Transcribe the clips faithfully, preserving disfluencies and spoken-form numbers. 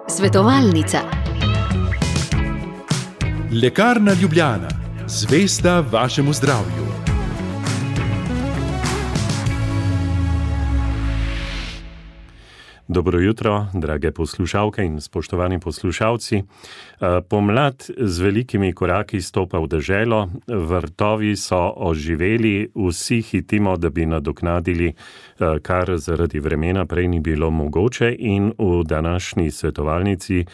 Svetovalnica. Lekarna Ljubljana, zvesta vašemu zdravju. Dobro jutro, drage poslušalke in spoštovani poslušalci. Pomlad z velikimi koraki stopa v deželo, vrtovi so oživeli, vsi hitimo, da bi nadoknadili, kar zaradi vremena prej ni bilo mogoče, in v današnji svetovalnici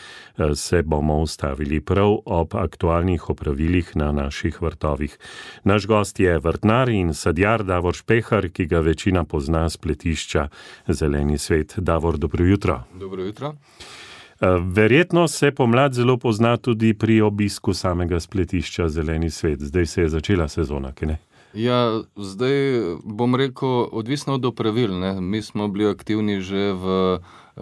se bomo ustavili prav ob aktualnih opravilih na naših vrtovih. Naš gost je vrtnar in sadjar Davor Špehar, ki ga večina pozna s pletišča Zeleni svet. Davor, dobro jutro. Dobro jutro. Verjetno se pomlad zelo pozna tudi pri obisku samega spletišča Zeleni svet. Zdaj se je začela sezona, ki ne? Ja, zdaj bom rekel, odvisno od opravil, ne. Mi smo bili aktivni že v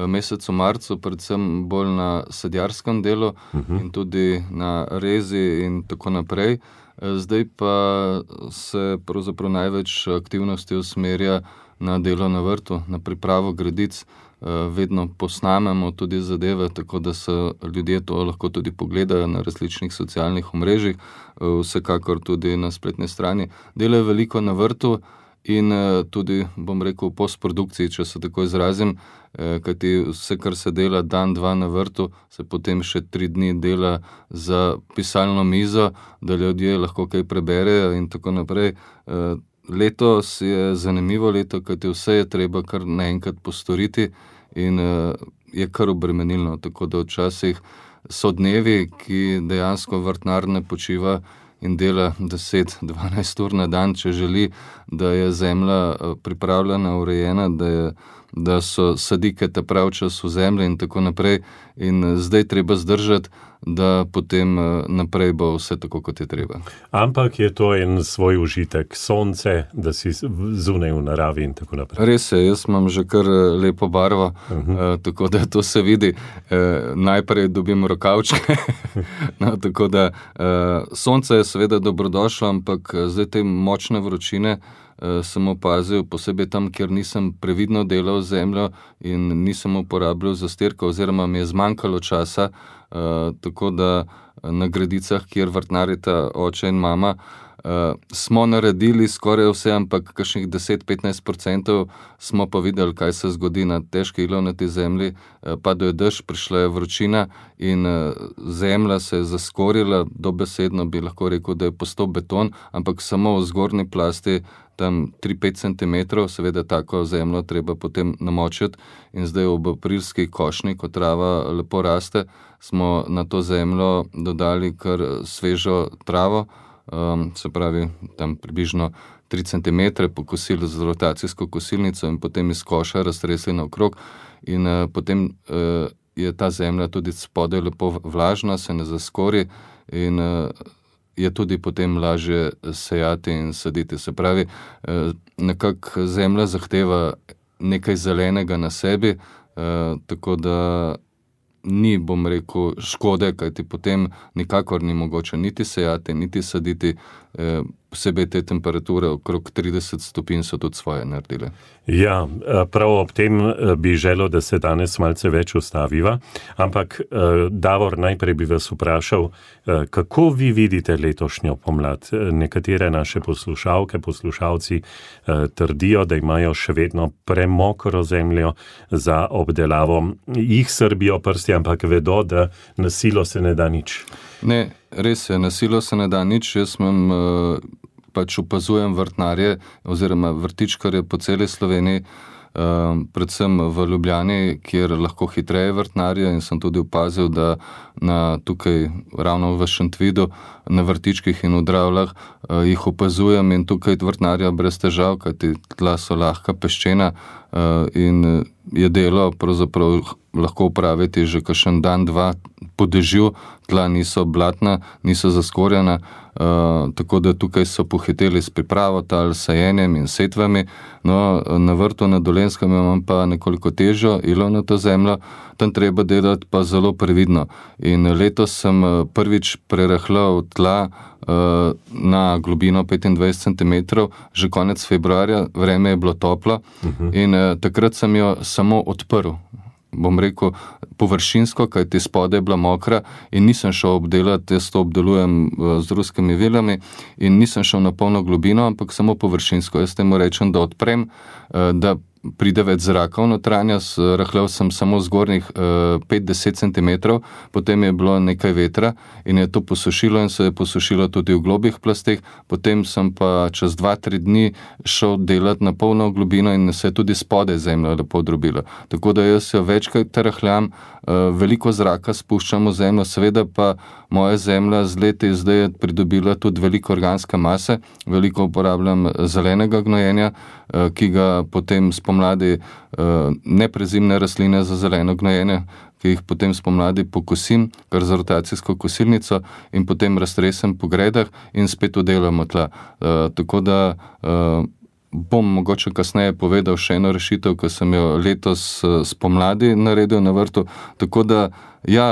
mesecu marcu, predvsem bolj na sadjarskem delu uh-huh. in tudi na rezi in tako naprej. Zdaj pa se pravzaprav največ aktivnosti usmerja na delo na vrtu, na pripravo gredic. Vedno posnamemo tudi zadeve, tako da se ljudje to lahko tudi pogledajo na različnih socialnih omrežjih, vsekakor tudi na spletni strani. Delajo veliko na vrtu in tudi, bom rekel, v postprodukciji, če se tako izrazim, kajti vse, kar se dela dan, dva na vrtu, se potem še tri dni dela za pisalno mizo, da ljudje lahko kaj preberejo in tako naprej. Letos je zanimivo leto, kajti vse je treba kar naenkrat postoriti in uh, je kar obremenilno, tako da včasih so dnevi, ki dejansko vrtnar ne počiva in dela deset do dvanajst ur na dan, če želi, da je zemlja pripravljena, urejena, da, je, da so sadike ta prav čas v zemlji in tako naprej. In zdaj treba zdržati, da potem naprej bo vse tako, kot je treba. Ampak je to en svoj užitek, sonce, da si zunaj v naravi in tako naprej. Res je, jaz imam že kar lepo barvo, uh-huh. uh, tako da to se vidi. Uh, najprej dobim rokavčke, no, tako da uh, sonce je seveda dobrodošlo, ampak zdaj te močne vročine uh, sem opazil, posebej tam, kjer nisem previdno delal zemljo in nisem uporabljal zastirka oziroma mi je zmanjkalo časa, Uh, tako da na gredicah, kjer vrtnarita oče in mama, uh, smo naredili skoraj vse, ampak kakšnih deset do petnajst procentov smo pa videli, kaj se zgodi na težki ilovnati zemlji. Uh, padel je dež, prišla je vročina in uh, zemlja se je zaskorila, dobesedno bi lahko rekel, da je postal beton, ampak samo v zgornji plasti tam tri do pet centimetrov, seveda tako zemljo treba potem namočiti in zdaj ob aprilski košnji, ko trava lepo raste, smo na to zemljo dodali kar svežo travo, um, se pravi tam približno tri centimetre pokosili z rotacijsko kosilnico in potem iz koša raztresli naokrog in uh, potem uh, je ta zemlja tudi spodaj lepo vlažna, se ne zaskori in uh, je tudi potem lažje sejati in saditi. Se pravi, nekako zemlja zahteva nekaj zelenega na sebi, tako da ni, bom rekel, škode, kajti potem nikakor ni mogoče niti sejati, niti saditi, posebej te temperature okrog trideset stopinj so tudi svoje naredile. Ja, prav ob tem bi želel, da se danes malce več ustaviva, ampak Davor, najprej bi vas vprašal, kako vi vidite letošnjo pomlad? Nekatere naše poslušalke, poslušalci trdijo, da imajo še vedno premokro zemljo za obdelavo. Jih srbijo prsti, ampak vedo, da na silo se ne da nič. Ne, res je, na silo se ne da nič. Jaz imam, pač opazujem vrtnarje oziroma vrtičkarje po celi Sloveniji, predvsem v Ljubljani, kjer lahko hitreje vrtnarje in sem tudi opazil, da na tukaj ravno v Šentvidu, na vrtičkih in v Dravljah jih opazujem in tukaj vrtnarja brez težav, kajti tla so lahka, peščena in je delo pravzaprav lahko upraviti že kakšen dan, dva po dežju, tla niso blatna, niso zaskorjena, uh, tako da tukaj so pohiteli s pripravo tal, sajenjem in setvami. No, na vrtu na Dolenjskem imam pa nekoliko težjo ilovnato zemljo, tam treba delati pa zelo previdno. In letos sem prvič prerahljal tla uh, na globino petindvajset centimetrov, že konec februarja, vreme je bilo toplo uh-huh. in uh, takrat sem jo samo odprl. bom rekel, površinsko, kajti spodaj je bila mokra in nisem šel obdelati, jaz to obdelujem z ruskimi vilami in nisem šel na polno globino, ampak samo površinsko. Jaz temu rečem, da odprem, da pride več zraka v notranjost, rahljal sem samo zgornjih pet do deset centimetrov, potem je bilo nekaj vetra in je to posušilo in se je posušilo tudi v globih plasteh, potem sem pa čez dva, tri dni šel delati na polno globino in se je tudi spodaj zemlja lepo drobila. Tako da jaz jo večkrat rahljam, veliko zraka spuščam v zemljo, seveda pa moja zemlja z leti zdaj je pridobila tudi veliko organske mase, veliko uporabljam zelenega gnojenja, ki ga potem spomladi neprezimne rastline za zeleno gnojenje, ki jih potem spomladi pokosim, kar za rotacijsko kosilnico in potem raztresem po gredah in spet udelamo tla. Tako da bom mogoče kasneje povedal še eno rešitev, ki sem jo letos spomladi naredil na vrtu. Tako da, ja,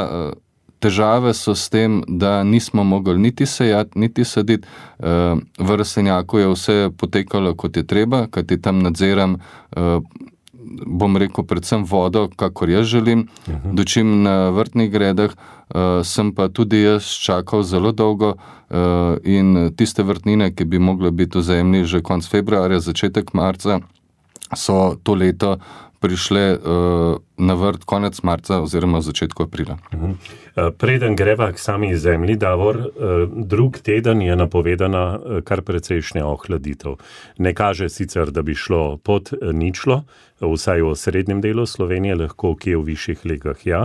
težave so s tem, da nismo mogli niti sejati, niti saditi. V rastlinjaku je vse potekalo, kot je treba, kajti tam nadziram, bom rekel, predvsem vodo, kakor jaz želim. Uh-huh. Dočim na vrtnih gredah sem pa tudi jaz čakal zelo dolgo in tiste vrtnine, ki bi mogle biti v zemlji že konec februarja, začetek marca, so to leto prišle na vrt konec marca oziroma v začetku aprila. Uh-huh. Preden greva k sami zemlji, Davor, drug teden je napovedana kar precejšnja ohladitev. Ne kaže sicer, da bi šlo pod ničlo, vsaj v srednjem delu Slovenije, lahko kje v višjih legah, ja.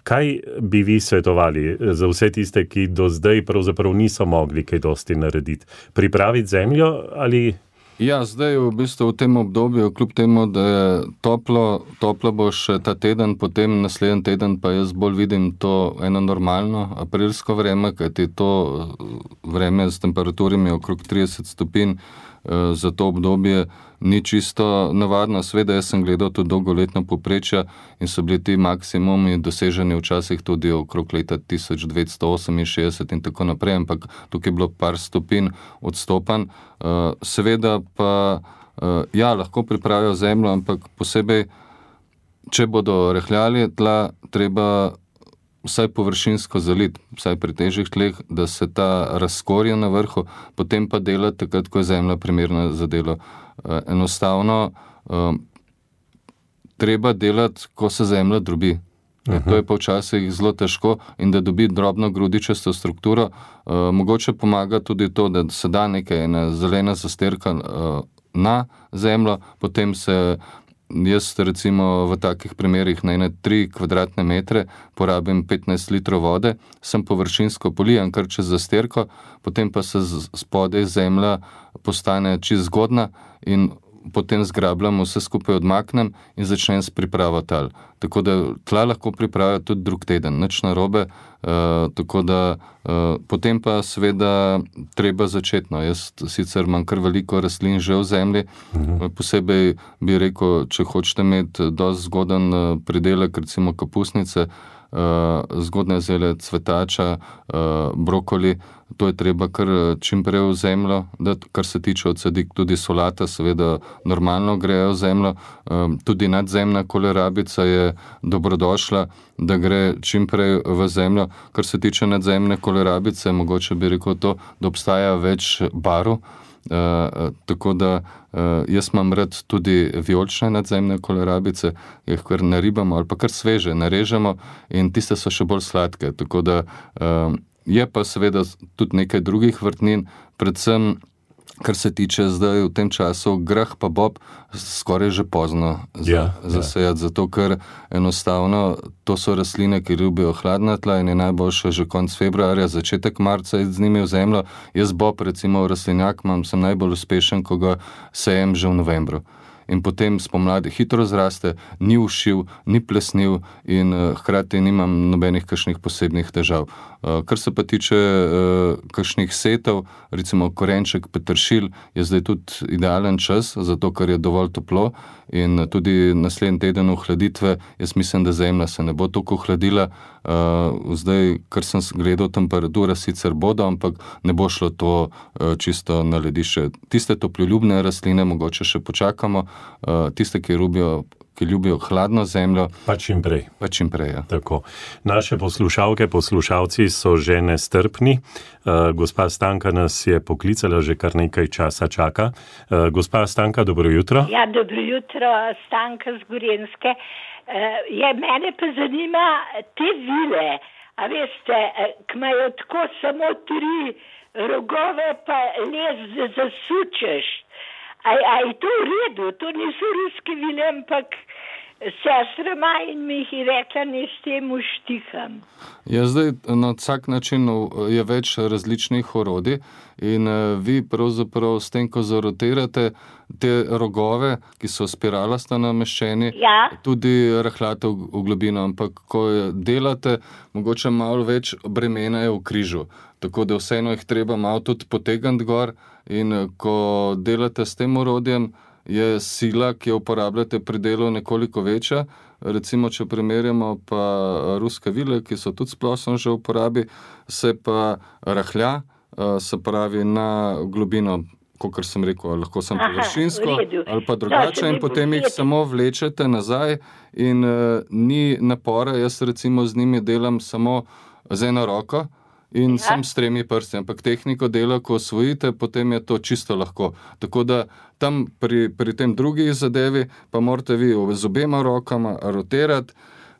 Kaj bi vi svetovali za vse tiste, ki do zdaj pravzaprav niso mogli kaj dosti narediti? Pripraviti zemljo ali... Ja, zdaj v bistvu v tem obdobju, kljub temu, da je toplo, toplo bo še ta teden, potem naslednji teden pa jaz bolj vidim to eno normalno aprilsko vreme, kajti to vreme s temperaturami okrog trideset stopinj za to obdobje ni čisto navadno. Sveda jaz sem gledal tudi dolgoletno povprečja in so bili ti maksimumi doseženi včasih tudi okrog leta tisoč devetsto oseminšestdeset in tako naprej, ampak tukaj je bilo par stopinj odstopanj. Seveda pa, ja, lahko pripravijo zemljo, ampak posebej, če bodo rahljali tla, treba vsaj površinsko zaliti, vsaj pri težjih tleh, da se ta razkorja na vrhu, potem pa delati takrat, ko je zemlja primerna za delo. Enostavno treba delati, ko se zemlja drobi. Uh-huh. To je pa včasih zelo težko in da dobi drobno grudičasto strukturo. Mogoče pomaga tudi to, da se da nekaj, ena zelena zastirka na zemljo, potem se jaz recimo v takih primerih na ene tri kvadratne metre porabim petnajst litrov vode, sem površinsko polijem kar čez zastirko, potem pa se spodaj zemlja postane čisto zgodna in potem zgrabljam, vse skupaj odmaknem in začnem s pripravo tal. Tako da tla lahko pripravijo tudi drug teden, nič narobe, uh, tako da uh, potem pa seveda treba začetno. Jaz sicer imam kar veliko rastlin že v zemlji, uh-huh. Posebej bi rekel, če hočete imeti dosti zgoden pridelek, recimo kapusnice, uh, zgodne zele, cvetača, uh, brokoli, to je treba kar čim prej v zemljo, da kar se tiče odsadik, tudi solata, seveda normalno grejo v zemljo, tudi nadzemna kolerabica je dobrodošla, da gre čim prej v zemljo. Kar se tiče nadzemne kolerabice, mogoče bi rekel to, da obstaja več barv, tako da jaz imam rad tudi vijolične nadzemne kolerabice, jih kar naribamo ali pa kar sveže narežemo in tiste so še bolj sladke, tako da je pa seveda tudi nekaj drugih vrtnin, predvsem, kar se tiče zdaj v tem času, grah pa bob, skoraj že pozno za, ja, zasejati, ja. Zato ker enostavno to so rastline, ki ljubijo hladna tla in je najboljše že konec februarja, začetek marca z njimi v zemljo. Jaz bob, recimo v rastlinjak, imam, sem najbolj uspešen, ko ga sejem že v novembru. In potem spomladi hitro zraste, ni ušiv, ni plesniv in uh, hkrati nimam nobenih kakšnih posebnih težav. Uh, kar se pa tiče uh, kakšnih setev, recimo korenček, peteršilj, je zdaj tudi idealen čas, zato ker je dovolj toplo in tudi naslednji teden ohladitve, jaz mislim, da zemlja se ne bo toliko ohladila. Uh, zdaj, kar sem gledal, temperatura sicer bodo, ampak ne bo šlo to uh, čisto na ledišče. Tiste toploljubne rastline mogoče še počakamo, uh, tiste, ki ljubijo ki ljubijo hladno zemljo. Pa čim prej. Pa čim prej, ja. Tako. Naše poslušalke, poslušalci so že nestrpni. Uh, gospa Stanka nas je poklicala, že kar nekaj časa čaka. Uh, gospa Stanka, dobro jutro. Ja, dobro jutro, Stanka z Gorenjske. Uh, je, mene pa zanima te vile, a veste, ki imajo tako samo tri rogove, pa les zasučeš. A, a je to v redu? To niso ruske vile, ampak sestra ima in mi jih je rekla, ne s tem uštiham. Ja, zdaj na vsak način je več različnih orodij in vi pravzaprav s tem, ko zarotirate te rogove, ki so spiralasta nameščeni, ja. tudi rahljate v, v globino, ampak ko delate, mogoče malo več bremena je v križu. Tako da vseeno jih treba malo tudi potegniti gor in ko delate s tem orodjem, je sila, ki jo uporabljate pri delu, nekoliko večja. Recimo, če primerjamo pa ruske vile, ki so tudi splošno že v uporabi, se pa rahlja, se pravi na globino, kakor sem rekel, lahko sem površinsko ali pa drugače, in potem jih samo vlečete nazaj in uh, ni napora. Jaz recimo z njimi delam samo z eno roko in ja. sem s tremi prsti, ampak tehniko dela, ko osvojite, potem je to čisto lahko. Tako da tam pri, pri tem drugi zadevi pa morate vi z obema rokama rotirati,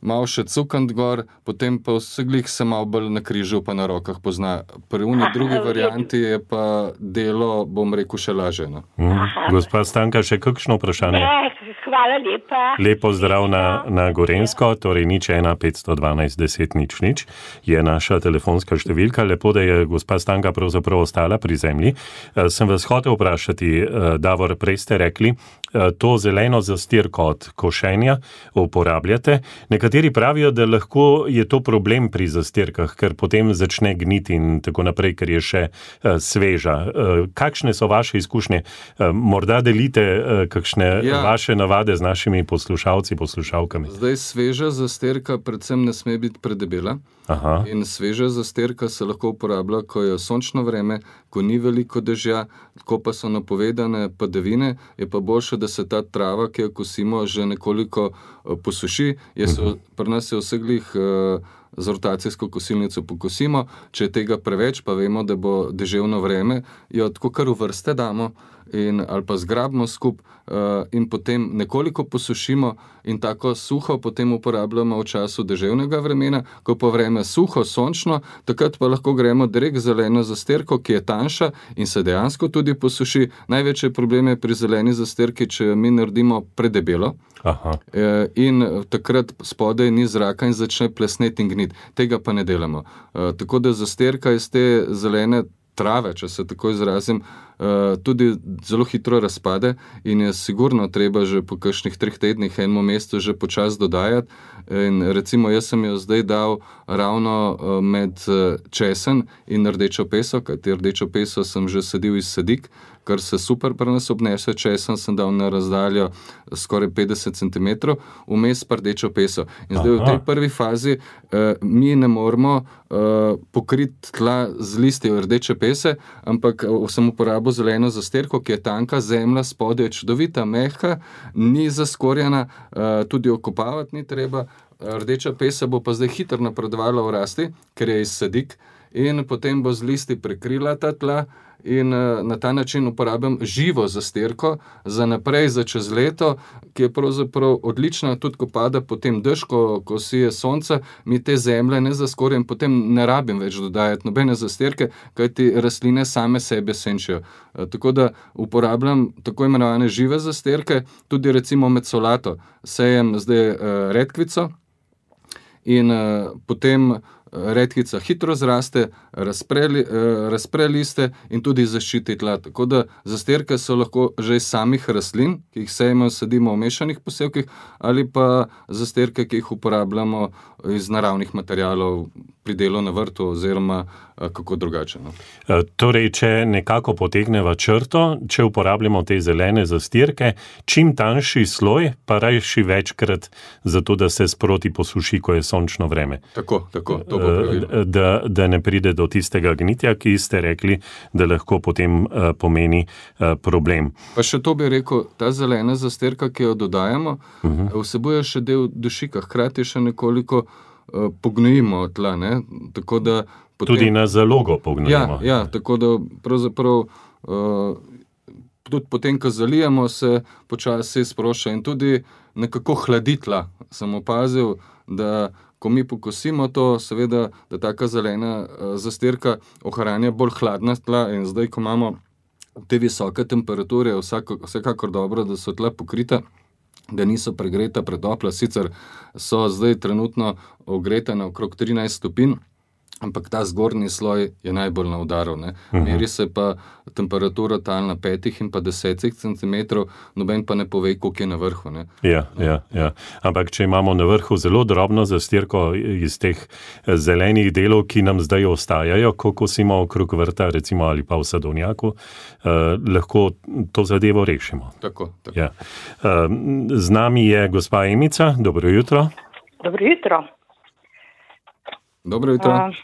malo še cukant gor, potem pa vseglih se malo bolj na križu pa na rokah pozna. Pri uni drugi varianti je pa delo, bom rekel, še lažje. No? Mm. Gospa Stanka, še kakšno vprašanje? Ne, hvala lepa. Lepo zdrav na, na Gorenjsko, torej nič ena petsto dvanajst deset nič nič je naša telefonska številka. Lepo, da je gospa Stanka pravzaprav ostala pri zemlji. E, sem vas hotel vprašati, e, Davor, prej ste rekli, e, to zeleno zastirko od košenja uporabljate. Nekateri pravijo, da lahko je to problem pri zastirkah, ker potem začne gniti in tako naprej, ker je še uh, sveža. Uh, kakšne so vaše izkušnje? Uh, morda delite uh, kakšne ja. vaše navade z našimi poslušalci, poslušalkami? Zdaj, sveža zastirka predvsem ne sme biti predebela. Aha. In sveža zastirka se lahko uporablja, ko je sončno vreme, ko ni veliko dežja, ko pa so napovedane padavine, je pa boljše, da se ta trava, ki jo kosimo, že nekoliko uh, posuši. Je so, pri nas je vseglih uh, z rotacijsko kosilnico pokosimo, če je tega preveč, pa vemo, da bo deževno vreme, jo tako kar v vrste damo in, ali pa zgrabimo skup uh, in potem nekoliko posušimo in tako suho potem uporabljamo v času deževnega vremena. Ko pa vreme suho, sončno, takrat pa lahko gremo direkt zeleno zastirko, ki je tanjša in se dejansko tudi posuši. Največje probleme pri zeleni zastirki, če mi naredimo predebelo. Aha. In takrat spodaj ni zraka in začne plesneti in gniti. Tega pa ne delamo. Uh, tako da zastirka iz te zelene trave, če se tako izrazim, uh, tudi zelo hitro razpade in je sigurno treba že po kakšnih treh tednih enemu mestu že počas dodajati. In recimo jaz sem jo zdaj dal ravno uh, med uh, česen in rdečo peso, kajti rdečo peso sem že sadil iz sadik, kar se super pri nas obnese. Česen sem dal na razdaljo skoraj petdeset centimetrov, vmes pa rdečo peso. In zdaj Aha. v tej prvi fazi uh, mi ne moramo uh, pokriti tla z listi rdeče pese, ampak uh, sem uporabil zeleno zastirko, ki je tanka, zemlja spodaj je čudovita, mehka, ni zaskorjena, uh, tudi okopavati ni treba. Rdeča pesa bo pa zdaj hitro napredovala v rasti, ker je iz sadik, in potem bo z listi prekrila ta tla in na ta način uporabljam živo zastirko za naprej, za čez leto, ki je pravzaprav odlična, tudi ko pada potem dež, ko, ko sije sonce, mi te zemlje ne zaskorjam, potem ne rabim več dodajati nobene zastirke, kajti rastline same sebe senčijo. Tako da uporabljam tako imenovane žive zastirke, tudi recimo med solato. Sejem zdaj uh, redkvico in uh, potem redkvica hitro zraste, razpre, razpre liste in tudi zaščiti tla. Tako da zastirke so lahko že iz samih rastlin, ki jih sejemo, sadimo v mešanih posevkih, ali pa zastirke, ki jih uporabljamo iz naravnih materialov pri delu na vrtu oziroma kako drugače. No? Torej, če nekako potegneva črto, če uporabljamo te zelene zastirke, čim tanjši sloj, pa rajši večkrat, zato da se sproti posuši, ko je sončno vreme. Tako, tako. To da, da ne pride do tistega gnitja, ki ste rekli, da lahko potem uh, pomeni uh, problem. Pa še to bi rekel, ta zelena zastirka, ki jo dodajamo, uh-huh. vsebuje še del dušika, hkrati še nekoliko uh, pognojimo tla, ne? Tako da potem... Tudi na zalogo pognojimo. Ja, ja, tako da pravzaprav uh, tudi potem, ko zalijemo, se počasi sprošča in tudi nekako hladi tla. Sem opazil, da ko mi pokosimo to, seveda, da taka zelena uh, zastirka ohranja bolj hladna tla in zdaj, ko imamo te visoke temperature, vsako, vsekakor dobro, da so tla pokrita, da niso pregreta, pretopla, sicer so zdaj trenutno ogreta na okrog trinajst stopinj, ampak ta zgornji sloj je najbolj na udaru. Ne? Uh-huh. Meri se pa temperatura tal na petih in pa desetih centimetrov, noben pa ne pove, koliko je na vrhu. Ne? Ja, ja, ja. Ampak če imamo na vrhu zelo drobno zastirko iz teh zelenih delov, ki nam zdaj ostajajo, ko kosimo okrog vrta, recimo ali pa v sadovnjaku, eh, lahko to zadevo rešimo. Tako, tako. Ja. Eh, z nami je gospa Emica. Dobro jutro. Dobro jutro. Dobro jutro. Uh,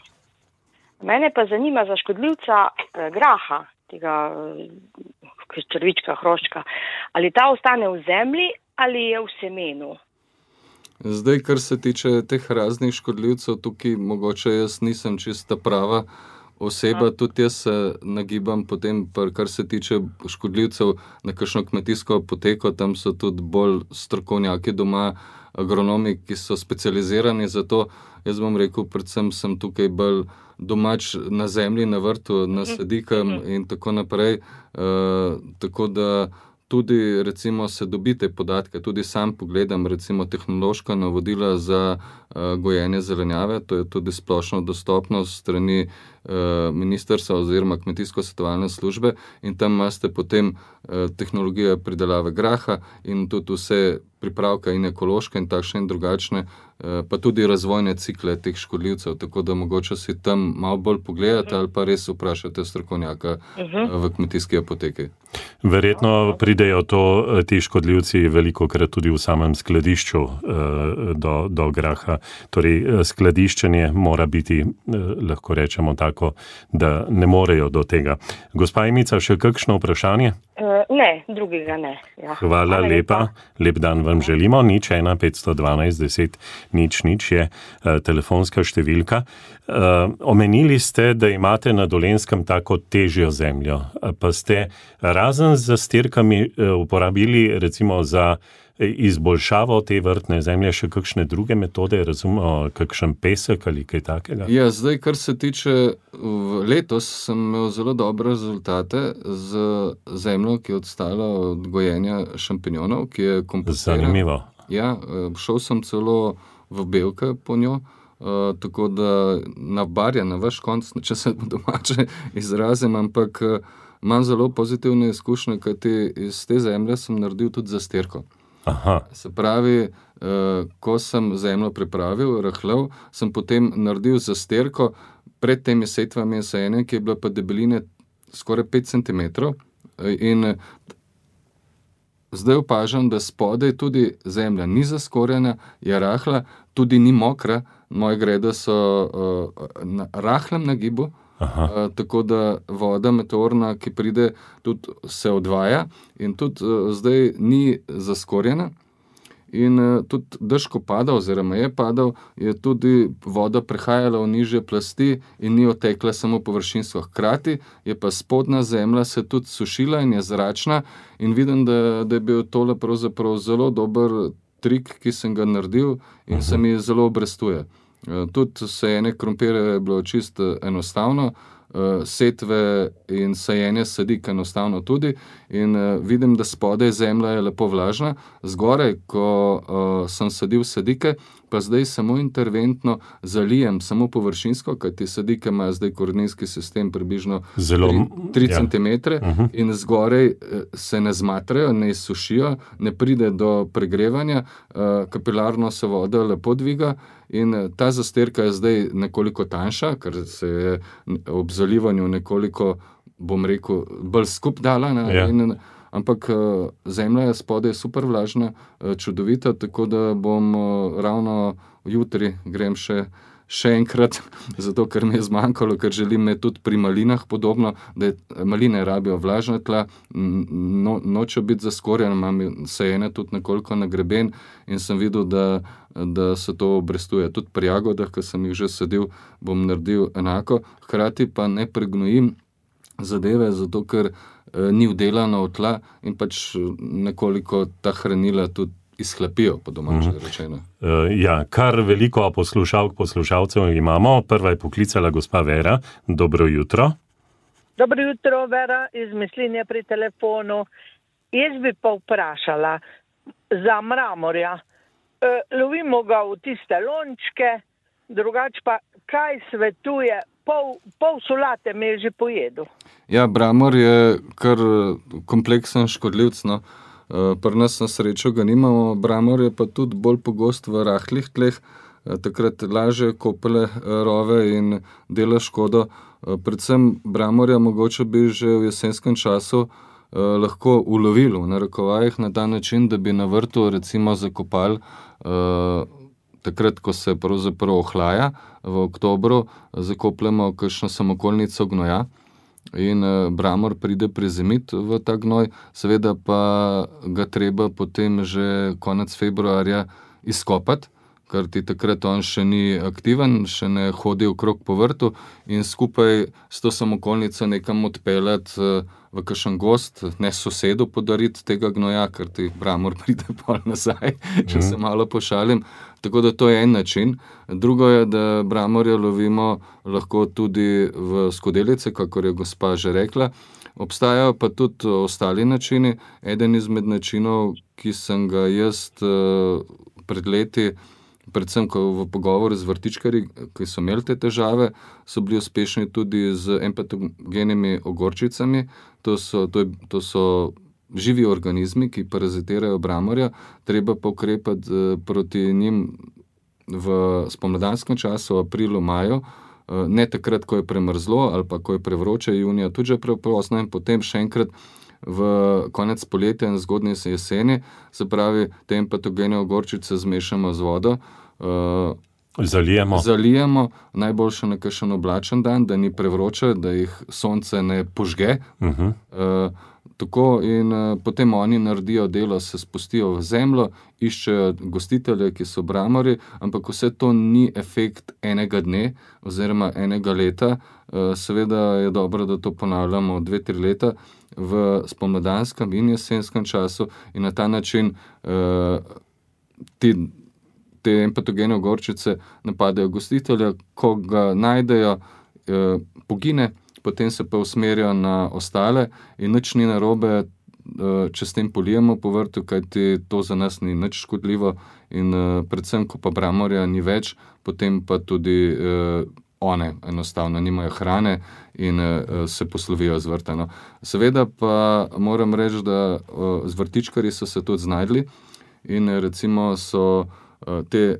mene pa zanima za škodljivca eh, graha, tega eh, črvička, hroščka. Ali ta ostane v zemlji ali je v semenu? Zdaj, kar se tiče teh raznih škodljivcev, tukaj mogoče jaz nisem čista prava oseba, uh. tudi jaz se nagibam potem, kar se tiče škodljivcev, na kakšno kmetijsko apoteko, tam so tudi bolj strokovnjaki doma, agronomi, ki so specializirani za to. Jaz bom rekel, predvsem sem tukaj bolj domač na zemlji, na vrtu, na sadikam in tako naprej. Uh, tako da tudi recimo se dobite podatke, tudi sam pogledam recimo tehnološka navodila za uh, gojenje zelenjave, to je tudi splošno dostopnost strani uh, ministrstva oziroma kmetijsko-svetovalne službe in tam imate potem uh, tehnologijo pridelave graha in tudi vse pripravke in ekološke in takšne in drugačne, uh, pa tudi razvojne cikle teh škodljivcev, tako da mogoče si tam malo bolj pogledate ali pa res vprašate strokovnjaka uh, v kmetijski apoteki. Verjetno pridejo to, ti škodljivci velikokrat tudi v samem skladišču do, do graha. Torej, skladiščenje mora biti, lahko rečemo tako, da ne morejo do tega. Gospa Emica, še kakšno vprašanje? Uh, ne, drugega ne. Ja. Hvala, Hvala lepa. lepa. Lep dan vam želimo. Nič ena petsto dvanajst deset nič nič je uh, telefonska številka. Uh, omenili ste, da imate na Dolenjskem tako težjo zemljo, pa ste razen z zastirkami uh, uporabili recimo za izboljšavo te vrtne zemlje še kakšne druge metode, razumemo, kakšen pesek ali kaj takega? Ja, zdaj, kar se tiče, letos sem imel zelo dobre rezultate z zemljo, ki je odstala od gojenja šampinjonov, ki je kompostirana. Zanimivo. Ja, šel sem celo v belke po njo, uh, tako da nabarja na vaš konc, če se domače izrazim, ampak uh, imam zelo pozitivne izkušnje, kajti iz te zemlje sem naredil tudi zastirko. Aha. Se pravi, uh, ko sem zemljo pripravil, rahlal, sem potem naredil zastirko pred temi setvami in sajenjem, ki je bila pa debeline skoraj pet centimetrov in zdaj opažam, da spodaj tudi zemlja ni zaskorjena, je rahla, tudi ni mokra, moje grede so uh, na rahlem nagibu, uh, tako da voda meteorna, ki pride, tudi se odvaja in tudi uh, zdaj ni zaskorjena. In uh, tudi dež, ko pada oziroma je padal, je tudi voda prehajala v nižje plasti in ni otekla samo površinsko. Hkrati je pa spodnja zemlja se tudi sušila in je zračna in vidim, da, da je bil tole pravzaprav zelo dober trik, ki sem ga naredil in uh-huh. se mi zelo obrestuje. Uh, tudi sajenje krompirja je bilo čisto enostavno, uh, setve in sajenje sadik enostavno tudi in uh, vidim, da spodaj zemlja je lepo vlažna, zgoraj, ko uh, sem sadil sadike, pa zdaj samo interventno zalijem, samo površinsko, kajti sadike imajo zdaj koreninski sistem približno tri centimetre ja. uh-huh. in zgoraj se ne zmatrajo, ne izsušijo, ne pride do pregrevanja, uh, kapilarno se voda lepo dviga in ta zastirka je zdaj nekoliko tanjša, ker se je ob zalivanju nekoliko, bom rekel, bolj skup dala. Ne, ja. in, ampak zemlja je spodaj super vlažna, čudovita, tako da bom ravno jutri grem še še enkrat, zato ker mi je zmanjkalo, ker želim ne tudi pri malinah podobno, da je, maline rabijo vlažna tla, no, nočejo biti zaskorjene, imam sajene tudi nekoliko na greben in sem videl, da, da se to obrestuje. Tudi pri jagodah, ki sem jih že sadil, bom naredil enako, hkrati pa ne pregnojim zadeve, zato ker eh, ni vdelano v tla in pač nekoliko ta hranila tudi izhlapijo, po domače rečeno. Uh, ja, kar veliko poslušalk, poslušalcev imamo. Prva je poklicala gospa Vera. Dobro jutro. Dobro jutro, Vera, iz Mislinje pri telefonu. Jaz bi pa vprašala za mramorja. E, lovimo ga v tiste lončke, drugače pa kaj svetuje, pol, pol solate me je že pojedel. Ja, bramor je kar kompleksen škodljivc, no. Pri nas na srečo ga nimamo, bramor je pa tudi bolj pogost v rahlih tleh, takrat lažje kopele rove in dela škodo. Predvsem bramorja mogoče bi že v jesenskem času lahko ulovili v narekovajih na ta način, da bi na vrtu recimo zakopali takrat, ko se pravzaprav ohlaja, v oktobru zakopljamo kakšno samokolnico gnoja. In bramor pride prizemit v ta gnoj, seveda pa ga treba potem že konec februarja izkopati, ker ti takrat on še ni aktiven, še ne hodi okrog po vrtu in skupaj s to samokolnico nekam odpeljati v kakšen gost, ne sosedu podariti tega gnoja, ker ti bramor pride pol nazaj, če se malo pošalim. Tako da to je en način. Drugo je, da bramorja lovimo lahko tudi v skodelice, kakor je gospa že rekla. Obstajajo pa tudi ostali načini. Eden izmed načinov, ki sem ga jaz pred leti, predvsem ko v pogovoru z vrtičkarji, ki so imeli te težave, so bili uspešni tudi z empatogenimi ogorčicami. To so, to je, to so živi organizmi, ki parazitirajo bramorja, treba pa ukrepati proti njim v spomladanskem času, aprilu, maju, ne takrat, ko je premrzlo ali pa ko je prevroče, junija tudi že preprosno in potem še enkrat v konec poletja in zgodnje jeseni, se pravi, te empatogene ogorčice zmešamo z vodo, uh, zalijemo. zalijemo, najboljše na kakšen oblačen dan, da ni prevroče, da jih sonce ne požge. Uh-huh. Uh, Tako in uh, potem oni naredijo delo, se spustijo v zemljo, iščejo gostitelje, ki so bramori, ampak vse to ni efekt enega dne oziroma enega leta. Uh, seveda je dobro, da to ponavljamo dve, tri leta v spomladanskem in jesenskem času in na ta način uh, ti, te empatogene ogorčice napadajo gostitelja, ko ga najdejo, uh, pogine, potem se pa usmerijo na ostale in nič ni narobe, če s tem polijemo po vrtu, kajti to za nas ni nič škodljivo in predvsem, ko pa bramorja ni več, potem pa tudi one enostavno nimajo hrane in se poslovijo z vrta. No. Seveda pa moram reči, da z vrtičkarji so se tudi znajdli in recimo so te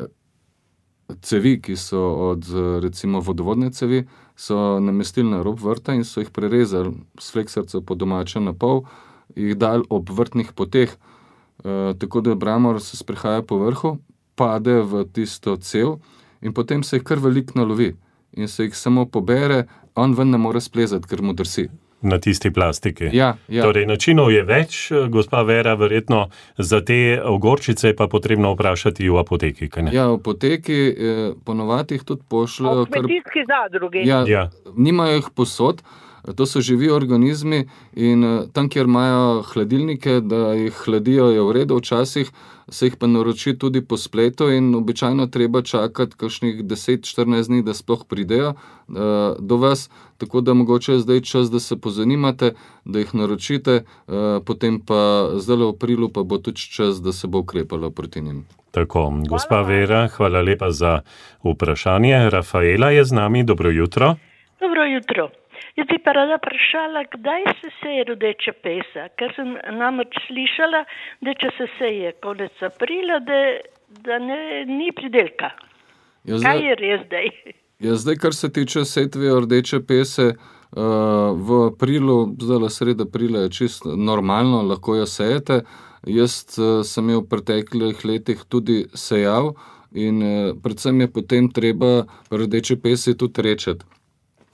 cevi, ki so od recimo vodovodne cevi, so namestili na rob vrta in so jih prerezali s fleksarco po domače na pol, jih dali ob vrtnih poteh, e, tako da bramor se sprehaja po vrhu, pade v tisto cev in potem se jih kar veliko nalovi in se jih samo pobere, on ven ne more splezati, ker mu drsi. Na tisti plastiki. Ja, ja. Torej, načinov je več, gospa Vera, verjetno za te ogorčice je pa potrebno vprašati v apoteki, kaj ne? Ja, v apoteki eh, ponovadi jih tudi pošljajo. V kmetijski zadrugi. Ja, Ja. nimajo jih posod, to so živi organizmi in eh, tam, kjer imajo hladilnike, da jih hladijo, je v redu, včasih se jih pa naroči tudi po spletu in običajno treba čakati kakšnih deset štirinajst dni, da sploh pridejo uh, do vas, tako da mogoče je zdaj čas, da se pozanimate, da jih naročite, uh, potem pa zdaj v aprilu pa bo tudi čas, da se bo ukrepalo proti njim. Tako, gospa Vera, hvala lepa za vprašanje. Rafaela je z nami, dobro jutro. Dobro jutro. Jaz bi pa rada vprašala, kdaj se seje rodeča pesa, ker sem namreč slišala, da če se seje konec aprila, da, da ne, ni pridelka. Ja, Kaj je res zdaj? Ja, zdaj, kar se tiče setve rdeče pese, uh, v aprilu, zdaj sredi aprila je čisto normalno, lahko jo sejete. Jaz uh, sem jo v preteklih letih tudi sejal, in uh, predvsem je potem treba rdeče pese tudi rečeti.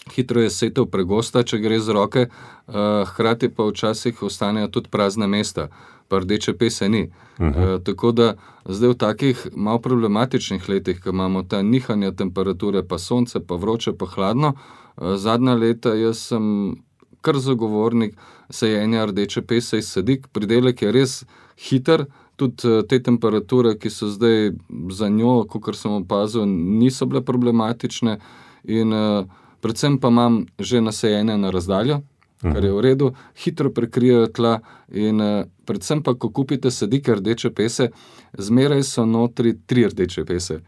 Hitro je setev pregosta, če gre z roke, uh, hkrati pa včasih ostanejo tudi prazna mesta, pa rdeče pese ni. Uh-huh. Uh, tako da zdaj v takih malo problematičnih letih, ko imamo ta nihanja temperature, pa sonce, pa vroče, pa hladno, uh, zadnja leta jaz sem kar zagovornik sajenja rdeče pese iz sadik. Pridelek je res hiter, tudi te temperature, ki so zdaj za njo, kakor sem opazil, niso bile problematične in uh, predvsem pa imam že nasajene na razdaljo, kar je v redu, hitro prekrijejo tla in uh, predvsem pa, ko kupite sadike rdeče pese, zmeraj so notri tri rdeče pese.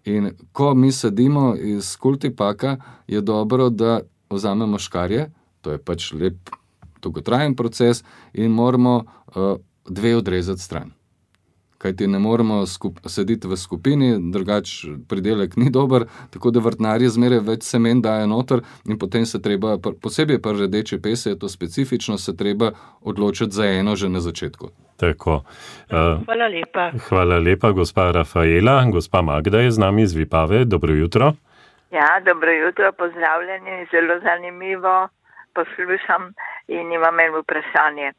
In ko mi sadimo iz kultipaka, je dobro, da vzamemo škarje, to je pač lep dolgotrajen proces in moramo uh, dve odrezati stran. Kajti ne moremo skup, sediti v skupini, drugač pridelek ni dober, tako da vrtnarji zmeraj več semen dajo noter in potem se treba, posebej pa rdeče pese, je to specifično, se treba odločiti za eno že na začetku. Tako. Uh, hvala lepa. Hvala lepa, gospa Rafaela. Gospa Magda je z nami iz Vipave. Dobro jutro. Ja, dobro jutro, pozdravljeni, zelo zanimivo poslušam in imam eno vprašanje.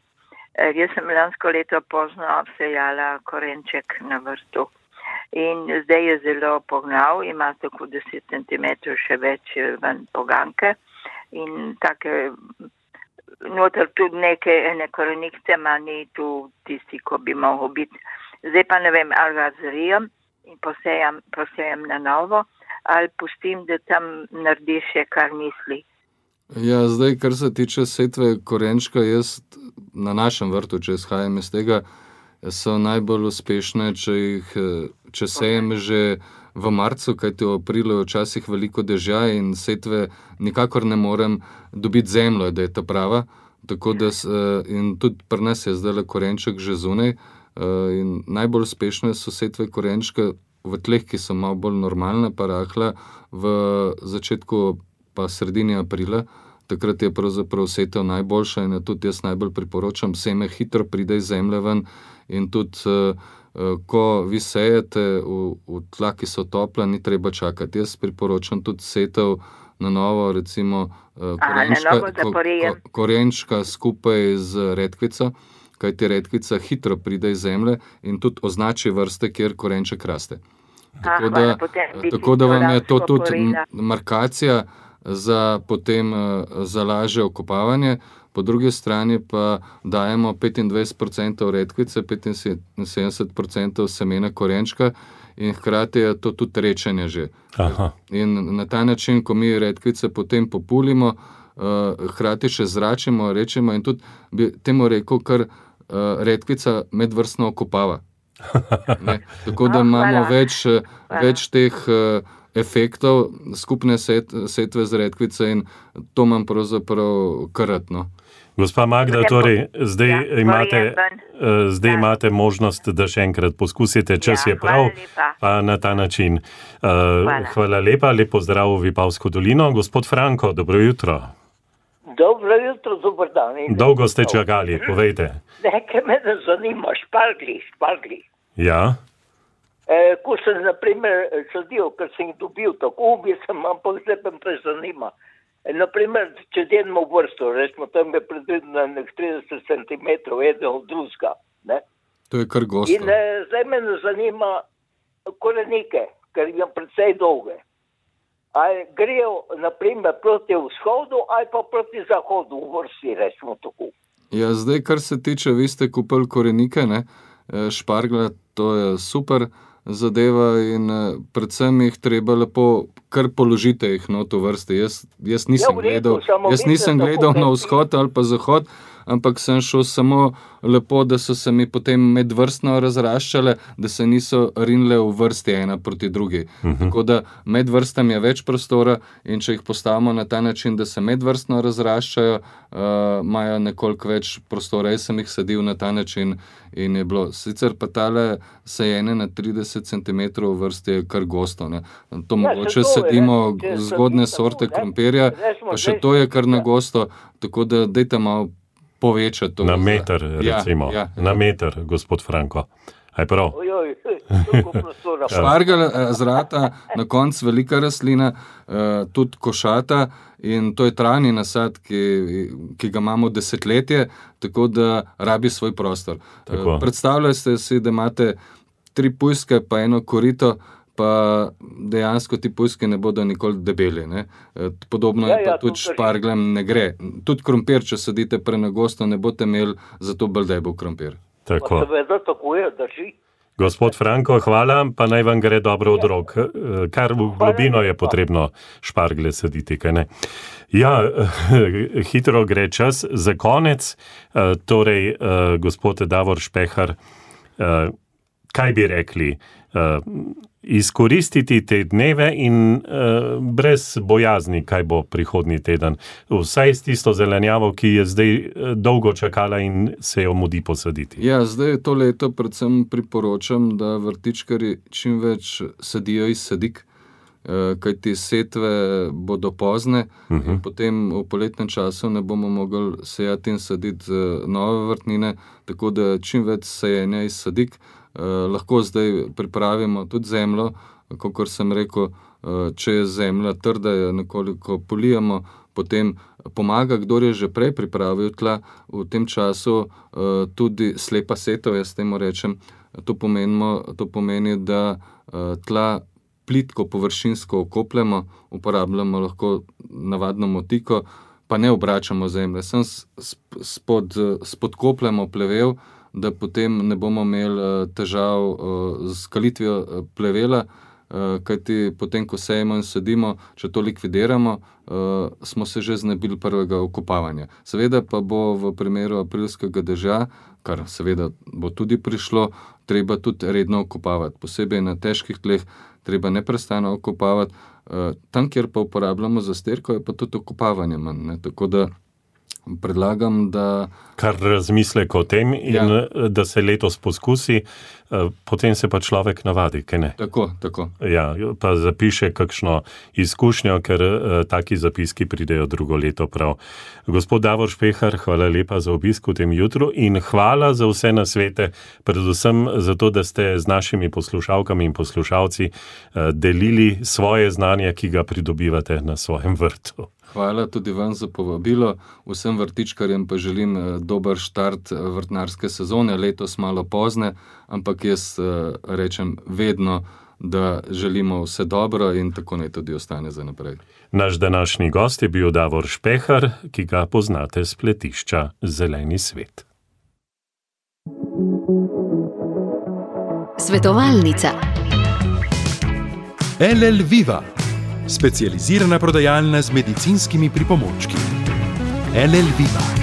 Jaz sem lansko leto pozno sejala korenček na vrtu in zdaj je zelo pognal, ima tako deset centimetrov še več ven poganke in take, noter tudi neke ene korenikce, ma ni tu tisti, ko bi mogel biti. Zdaj pa ne vem, ali ga zrijem in posejam, posejam na novo, ali pustim, da tam naredi še kar misli. Ja, zdaj, kar se tiče setve korenčka, jaz na našem vrtu, če izhajam iz tega, so najbolj uspešne, če jih, če sejem že v marcu, kajti v aprilu je včasih veliko dežja in setve nikakor ne morem dobiti zemljo, da je ta prava. Tako da, in tudi pri nas je zdaj korenček že zunaj in najbolj uspešne so setve korenčka v tleh, ki so malo bolj normalne, pa rahla v začetku pa sredini aprila. Takrat je pravzaprav setev najboljša in tudi jaz najbolj priporočam, seme hitro pride iz zemlje ven in tudi, ko vi sejete v, v tla, ki so topla, ni treba čakati. Jaz priporočam tudi setev na novo, recimo korenčka, Aha, na novo ko, korenčka skupaj z redkvico, kajti redkvica hitro pride iz zemlje in tudi označi vrste, kjer korenček raste. Tako, Ah, da, hvala, tako da vam je to tudi porila. markacija za potem za lažje okopavanje, po drugi strani pa dajemo petindvajset procentov redkvice, petinsedemdeset procentov semena korenčka in hkrati je to tudi rečenje že. Aha. In na ta način, ko mi redkvice potem populimo, hkrati še zračimo, rečemo in tudi bi temu rekel, kar redkvica medvrstno okopava. Ne? Tako da Oh, imamo hvala. več, več teh efektov skupne set, setve z redkvice in to imam pravzaprav karatno. Gospa Magda, torej, zdaj, Ja, imate, ven. eh, zdaj Ja. imate možnost, da še enkrat poskusite, čas Ja, je prav, hvala lepa. pa na ta način. Uh, Hvala. hvala lepa, lep pozdrav v Vipavsko dolino. Gospod Franko, dobro jutro. Dobro jutro, dober dan. in Dolgo ste dobro. čakali, povejte. Nekaj me ne zanima, špargli, špargli. Ja, E, ko sem, na primer, sadil, ker sem jih dobil, tako bi sem, ampak zdaj me pa zanima. E, naprimer, če delimo vrsto, rečemo, tam je predvidno nek trideset centimetrov, eden od drugega, ne? To je kar gosto. In e, zdaj me ne zanima korenike, ker imam precej dolge. Ali grejo, naprimer, proti vzhodu ali pa proti zahodu v vrsti, rečemo tako. Ja, zdaj, kar se tiče, vi ste kupili korenike, ne, špargla, to je super zadeva in predvsem jih treba lepo, kar položite jih not v vrsti. Jaz, jaz nisem Ja, v redu, gledal, samo jaz vidite, nisem tako gledal na kot- vzhod ali pa zahod, ampak sem šel samo lepo, da so se mi potem medvrstno razraščale, da se niso rinile v vrsti ena proti drugi. Uh-huh. Tako da med vrstami je več prostora in če jih postavimo na ta način, da se medvrstno razraščajo, uh, imajo nekoliko več prostora. Jaz sem jih sadil na ta način in je bilo. Sicer pa tale sajene na trideset centimetrov v vrsti je kar gosto. Ne. To Ja, mogoče se to je, sadimo ne, če zgodne sadimo sorte tako, ne. krompirja, Recimo, pa še zdaj- to je kar na ja. gosto, tako da dajte malo povečati to. na meter, Ja, recimo. ja. Na meter, gospod Franko. Aj prav. Ojoj, Špargelj zrata na koncu velika rastlina, tudi košata, in to je trajni nasad, ki, ki ga imamo desetletje, tako da rabi svoj prostor. Tako. Predstavljajte si, da imate tri pujske pa eno korito, pa dejansko ti pujski ne bodo nikoli debeli. Ne? Podobno ja, je pa ja, tudi špargljem ne gre. Tudi krompir, če sadite prenagosto, ne boste imeli zato bolj debel krompir. Tako. Seveda, tako je, drži. Gospod Franko, hvala, pa naj vam gre dobro od rok. Kar v globino je potrebno šparglje saditi, kaj ne? Ja, hitro gre čas. Za konec, torej, gospod Davor Špehar, kaj bi rekli? Izkoristiti te dneve in uh, brez bojazni, kaj bo prihodnji teden. Vsaj s tisto zelenjavo, ki je zdaj dolgo čakala in se jo mudi posaditi. Ja, zdaj to leto predvsem priporočam, da vrtičkarji čim več sadijo iz sadik, uh, kajti setve bodo pozne, uh-huh. in potem v poletnem času ne bomo mogli sejati in saditi uh, nove vrtnine, tako da čim več sejenja iz sadik. Uh, lahko zdaj pripravimo tudi zemljo, kakor sem rekel, uh, če je zemlja trda, jo nekoliko polijemo, potem pomaga, kdor je že prej pripravil tla, v tem času uh, tudi slepa setov, jaz temu rečem, to, pomenimo, to pomeni, da uh, tla plitko površinsko okopljamo, uporabljamo lahko navadno motiko, pa ne obračamo zemlje, sem spod, spodkopljamo plevel, da potem ne bomo imeli težav z kalitvijo plevela, kajti potem, ko sejemo in sadimo, če to likvidiramo, smo se že znebili prvega okopavanja. Seveda pa bo v primeru aprilskega dežja, kar seveda bo tudi prišlo, treba tudi redno okopavati. Posebej na težkih tleh treba neprestano okopavati. Tam, kjer pa uporabljamo zastirko, je pa tudi okopavanje manj. Ne? Tako da predlagam, da... Kar razmislek o tem in ja. Da se letos poskusi, potem se pa človek navadi, kaj ne? Tako, tako. Ja, pa zapiše kakšno izkušnjo, ker taki zapiski pridejo drugo leto prav. Gospod Davor Špehar, hvala lepa za obisk v tem jutru in hvala za vse nasvete, predvsem za to, da ste z našimi poslušalkami in poslušalci delili svoje znanje, ki ga pridobivate na svojem vrtu. Hvala tudi vam za povabilo. Vsem vrtičkarjem pa želim dober štart vrtnarske sezone, letos malo pozne, ampak jaz rečem vedno, da želimo vse dobro in tako naj tudi ostane za naprej. Naš današnji gost je bil Davor Špehar, ki ga poznate s pletišča Zeleni svet. Svetovalnica L L Viva, specializirana prodajalna z medicinskimi pripomočki. L L Viva.